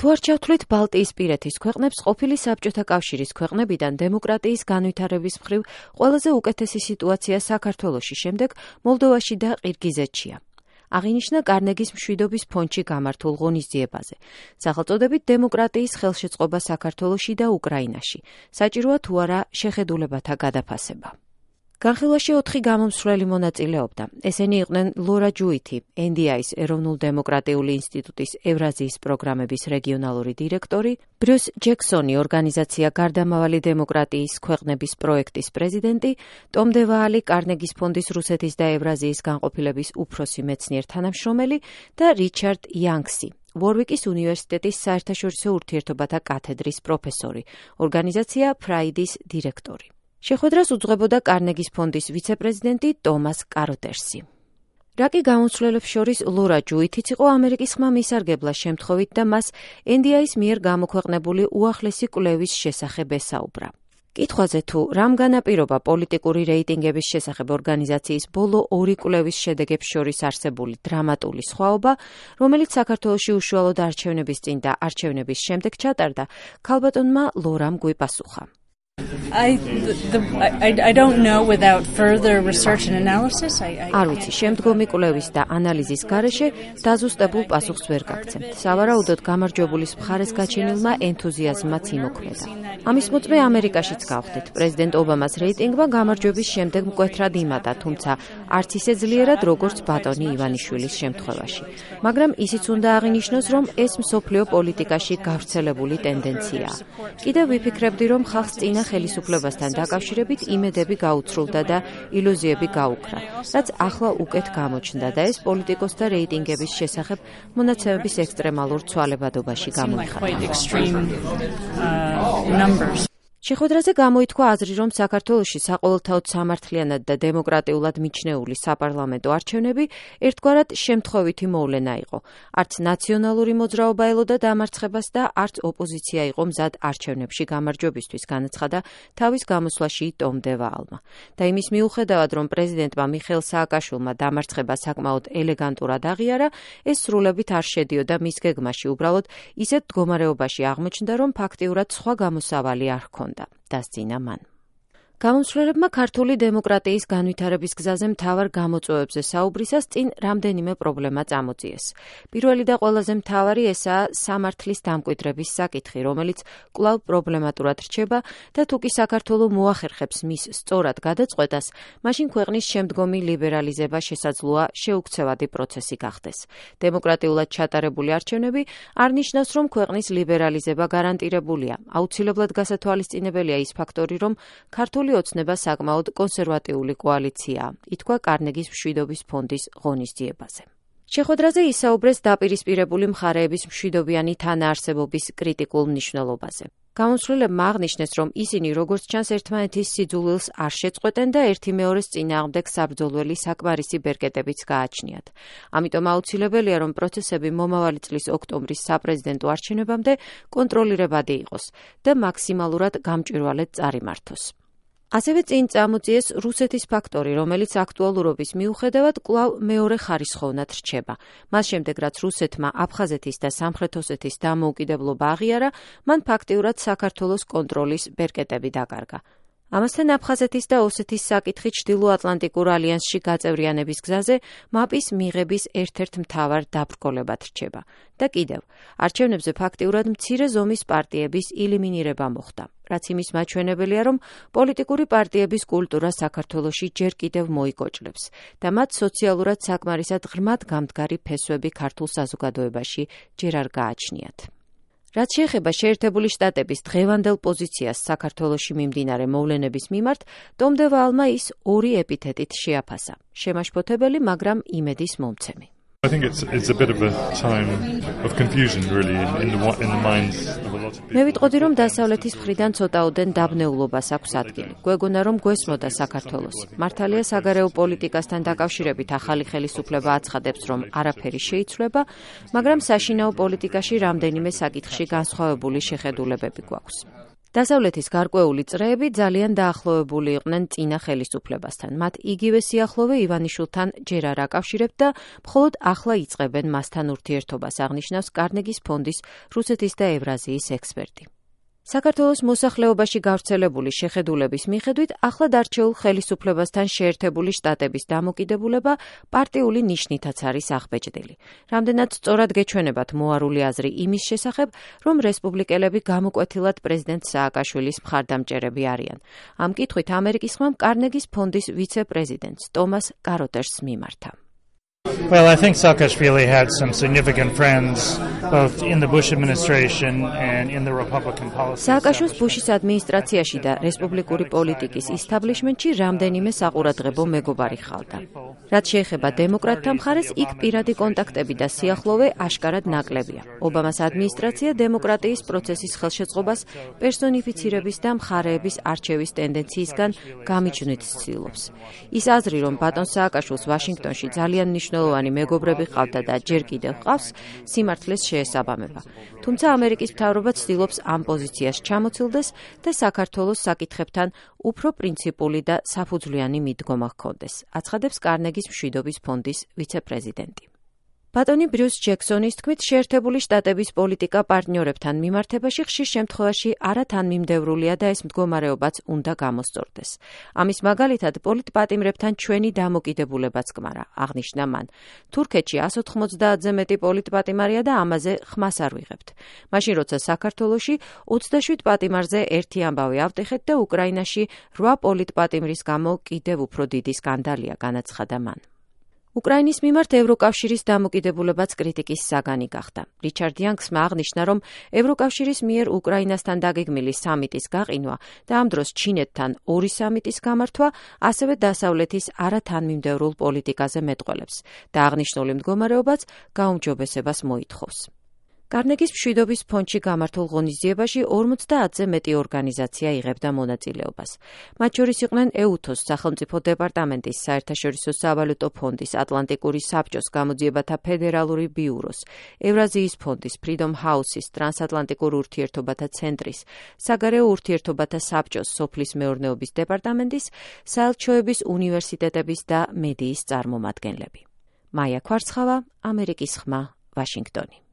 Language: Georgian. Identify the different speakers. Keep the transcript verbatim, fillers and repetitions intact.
Speaker 1: თუ არ ჩავთვლით ბალტიისპირეთის ქვეყნებს, ყოფილი საბჭოთა კავშირის ქვეყნებიდან დემოკრატიის განვითარების მხრივ ყველაზე უკეთესი სიტუაცია საქართველოში, შემდეგ მოლდოვაში და ყირგიზეთშია. აღინიშნა კარნეგის მშვიდობის ფონდში გამართულ ღონისძიებაზე. სახელწოდებით დემოკრატიის ხელშეწყობა საქართველოში და უკრაინაში. საჭიროა თუ არა შეხედულებათა გადაფასება. განხილვაში ოთხი გამომსვლელი მონაწილეობდა. ესენი იყვნენ ლორა ჯუითი, ენ დი აის ეროვნულ დემოკრატიული ინსტიტუტის ევრაზიის პროგრამების რეგიონალური დირექტორი, ბრიუს ჯექსონი, ორგანიზაცია გარდამავალი დემოკრატიის ქვეყნების პროექტის პრეზიდენტი, ტომ დე ვაალი, კარნეგის ფონდის რუსეთის და ევრაზიის განყოფილების უფროსი მეცნიერ თანამშრომელი და რიჩარდ იანგსი, ვორვიკის უნივერსიტეტის საერთაშორისო ურთიერთობათა კათედრის პროფესორი, ორგანიზაცია ფრაიდის დირექტორი. შეხვედრას უძღვებოდა კარნეგის ფონდის ვიცე-პრეზიდენტი ტომას კაროტერსი. რა კი გამომცვლელებს შორის ლორა ჯუითიც იყო ამერიკის ხმა მისარგებლა შემთხვევით და მას ენ დი აის მიერ გამოქვეყნებული უახლესი კვლევის შესახებ ესაუბრა. კითხვაზე თუ რამ განაპირობა პოლიტიკური რეიტინგების შესახებ ორგანიზაციის ბოლო ორი კვლევის შედეგებს შორის არსებული დრამატული სხვაობა, რომელიც საქართველოში უშუალოდ არჩევნების წინ და არჩევნების შემდეგ ჩატარდა, ქალბატონმა ლორამ გვიპასუხა.
Speaker 2: I, the, I, I don't know without further research and analysis. I, I,
Speaker 1: არ ვიცი, შემდგომი კვლევის და ანალიზის გარეშე დაზუსტებულ პასუხს ვერ გაგცემთ. სავარაუდოდ გამარჯვებულის მხარეს გაჩენილმა ენთუზიაზმმაც იმოქმედა. ამის მოწმე ამერიკაშიც გავხდით. პრეზიდენტ ობამას რეიტინგმა გამარჯვების შემდეგ მკვეთრად იმატა, თუმცა არც ისე ძლიერად, როგორც ბატონი ივანიშვილის შემთხვევაში. მაგრამ ისიც უნდა აღინიშნოს, რომ ეს მსოფლიო პოლიტიკაში გავრცელებული ტენდენციაა. კიდევ ვიფიქრებდი, რომ ხალხს წინა ხელისუფლებასთან დაკავშირებით იმედები გაუცრულდა და ილუზიები გაუქრა, რაც ახლა უკეთ გამოჩნდა და ეს პოლიტიკოსთა რეიტინგების შესახებ მონაცემების ექსტრემალურ ცვალებადობაში გამოიხატა. შეხვედრაზე გამოითქვა აზრი, რომ საქართველოში საყოველთაოდ სამართლიანად და დემოკრატიულად მიჩნეული საპარლამენტო არჩევნები ერთგვარად შემთხვევითი მოვლენა იყო. არც ნაციონალური მოძრაობა ელოდა დამარცხებას და არც ოპოზიცია იყო მზად არჩევნებში გამარჯვებისთვის, განაცხადა თავის გამოსვლაში ტომ დე ვაალმა. და იმის მიუხედავად, რომ პრეზიდენტმა მიხეილ სააკაშვილმა დამარცხება საკმაოდ ელეგანტურად აღიარა, ეს სრულებით არ შედიოდა მის გეგმაში, უბრალოდ ისეთ მდგომარეობაში აღმოჩნდა, რომ ფაქტიურად სხვა გამოსავალი არ ჰქონდა. დასძინა მან. გამომცვლელებმა ქართული დემოკრატიის განვითარების გზაზე მთავარ გამოწვევებზე საუბრისას წინ რამდენიმე პრობლემა წამოწიეს. პირველი და ყველაზე მთავარი ესაა სამართლის დამკვიდრების საკითხი, რომელიც კვლავ პრობლემატურად რჩება და თუ კი საქართველო მოახერხებს მის სწორად გადაწყვეტას, მაშინ ქვეყნის შემდგომი ლიბერალიზება შესაძლოა შეუქცევადი პროცესი გახდეს. დემოკრატიულად ჩატარებული არჩევნები არ ნიშნავს, რომ ქვეყნის ლიბერალიზება გარანტირებულია. აუცილებლად გასათვალისწინებელია ის ფაქტორი, რომ ქართული ოცნება საკმაოდ კონსერვატიული კოალიციაა, ითქვა კარნეგის მშვიდობის ფონდის ღონისძიებაზე. შეხვედრაზე ისაუბრეს დაპირისპირებული მხარეების მშვიდობიანი თანაარსებობის კრიტიკულ მნიშვნელობაზე. გამომცვლელებმა აღნიშნეს, რომ ისინი როგორც ჩანს ერთმანეთის სიძულვილს არ შეწყვეტენ და ერთი მეორეს წინააღმდეგ საბრძოლველი საკმარისი ბერკეტებიც გააჩნიათ. ამიტომ აუცილებელია, რომ პროცესები მომავალი წლის ოქტომბრის საპრეზიდენტო არჩევნებამდე კონტროლირებადი იყოს და მაქსიმალურად გამჭვირვალედ წარიმართოს. ასევე წინ წამოწიეს რუსეთის ფაქტორი, რომელიც აქტუალურობის მიუხედავად კვლავ მეორე ხარისხოვნად რჩება. მას შემდეგ, რაც რუსეთმა აფხაზეთის და სამხრეთ ოსეთის დამოუკიდებლობა აღიარა, მან ფაქტიურად საქართველოს კონტროლის ბერკეტები დაკარგა. ამასთან აფხაზეთის და ოსეთის საკითხი ჩრდილოატლანტიკურ ალიანსში გაწევრიანების გზაზე მაპის მიღების ერთ-ერთ მთავარ დაბრკოლებად რჩება. და კიდევ, არჩევნებზე ფაქტიურად მცირე ზომის პარტიების ელიმინირება მოხდა, რაც იმის მაჩვენებელია, რომ პოლიტიკური პარტიების კულტურა საქართველოში ჯერ კიდევ მოიკოჭლებს და მათ სოციალურად საკმარისად ღრმად გამდგარი ფესვები ქართულ საზოგადოებაში ჯერ არ გააჩნიათ. რაც შეეხება შეერთებული შტატების დღევანდელ პოზიციას საქართველოში მიმდინარე მოვლენების მიმართ, ტომ დე ვაალმა ის ორი ეპითეტით შეაფასა: შემაშფოთებელი, მაგრამ იმედის მომცემი.
Speaker 3: I think it's it's a bit of a time of confusion really in the in the minds of a lot of people.
Speaker 1: მე ვიტყოდი, რომ დასავლეთის მხრიდან ცოტაოდენ დაბნეულობას აქვს ადგილი. გვეგონა, რომ გვესმოდა საქართველოსი. მართალია საგარეო პოლიტიკასთან დაკავშირებით ახალი ხელისუფლება აცხადებს, რომ არაფერი შეიცვლება, მაგრამ საშინაო პოლიტიკაში რამდენიმე საკითხში განსხვავებული შეხედულებები გვაქვს. დასავლეთის გარკვეული წრეები ძალიან დაახლოებული იყვნენ წინა ხელისუფლებასთან. მათ იგივე სიახლოვე ივანიშვილთან ჯერ არ აკავშირებთ და მხოლოდ ახლა იწყებენ მასთან ურთიერთობას, აღნიშნავს კარნეგის ფონდის რუსეთის და ევრაზიის ექსპერტი. საქართველოს მოსახლეობაში გავრცელებული შეხედულების მიხედვით ახლად არჩეულ ხელისუფლებასთან შეერთებული შტატების დამოკიდებულება პარტიული ნიშნითაც არის აღბეჭდილი. რამდენად სწორად გეჩვენებათ მოარული აზრი იმის შესახებ, რომ რესპუბლიკელები გამოკვეთილად პრეზიდენტ სააკაშვილის მხარდამჭერები არიან. ამ კითხვით ამერიკის ხმამ კარნეგის ფონდის ვიცე-პრეზიდენტს ტომას კაროტერს მიმართა.
Speaker 4: Well, I think Saakashvili had some significant friends both in the Bush administration and in the Republican policy.
Speaker 1: Saakashvilis Bushis ადმინისტრაციაში და რესპუბლიკური პოლიტიკის ისტაბლიშმენტში რამდენიმე საყურადღებო მეგობარი ხალდა. რაც შეეხება დემოკრატთა მხარეს, იქ პირადი კონტაქტები და სიახლოვე აშკარად ნაკლებია. ობამას ადმინისტრაცია დემოკრატიის პროცესის ხელშეწყობას პერსონიფიცირების და მხარეების არჩევის ტენდენციისგან გამიჯვნით ცდილობს. ის აზრი, რომ ბატონ სააკაშვილს ვაშინგტონში ძალიან მნიშვნელოვანი მეგობრები ყავდა და ჯერ კიდევ ყავს, სიმართლეს შეესაბამება. თუმცა ამერიკის მთავრობა ცდილობს ამ პოზიციას ჩამოცილდეს და საქართველოს საკითხებთან უფრო პრინციპული და საფუძვლიანი მიდგომა ჰქონდეს, აცხადებს კარნეგის მშვიდობის ფონდის ვიცე-პრეზიდენტი. ბატონი ბრიუს ჯექსონის თქმით, შეერთებული შტატების პოლიტიკა პარტნიორებთან მიმართებაში ხშირ შემთხვევაში არათანმიმდევრულია და ეს მდგომარეობაც უნდა გამოსწორდეს. ამის მაგალითად, პოლიტპატიმრებთან ჩვენი დამოკიდებულებაც კმარა, აღნიშნა მან. თურქეთში εκατს ოთხმოცდაათზე მეტი პოლიტპატიმარია და ამაზე ხმას არ ვიღებთ. მაშინ, როცა საქართველოში ოცდაშვიდ პატიმარზე ერთი ამბავი ავტეხეთ და უკრაინაში რვა პოლიტპატიმრის გამო კიდევ უფრო დიდი სკანდალია, განაცხადა მან. უკრაინის მიმართ ევროკავშირის დამოკიდებულებაც კრიტიკის საგანი გახდა. რიჩარდ იანგსმა აღნიშნა, რომ ევროკავშირის მიერ უკრაინასთან დაგეგმილი სამიტის გაყინვა და ამ დროს ჩინეთთან ორი სამიტის გამართვა ასევე დასავლეთის არათანმიმდევრულ პოლიტიკაზე მეტყველებს და აღნიშნული მდგომარეობაც გაუმჯობესებას მოითხოვს. კარნეგის მშვიდობის ფონდში გამართულ ღონისძიებაში ორმოცდაათზე მეტი ორგანიზაცია იღებდა მონაწილეობას. მათ შორის იყვნენ ეუთოს სახელმწიფო დეპარტამენტის, საერთაშორისო სავალუტო ფონდის, ატლანტიკური საბჭოს გამოძიებათა ფედერალური ბიუროს, ევრაზიის ფონდის, ფრიდომ ჰაუსის, ტრანსატლანტიკურ ურთიერთობათა ცენტრის, საგარეო ურთიერთობათა საბჭოს, სოფლის მეურნეობის დეპარტამენტის, საელჩოების უნივერსიტეტების და მედიის წარმომადგენლები. მაია ქვარცხავა, ამერიკის ხმა, ვაშინგტონი.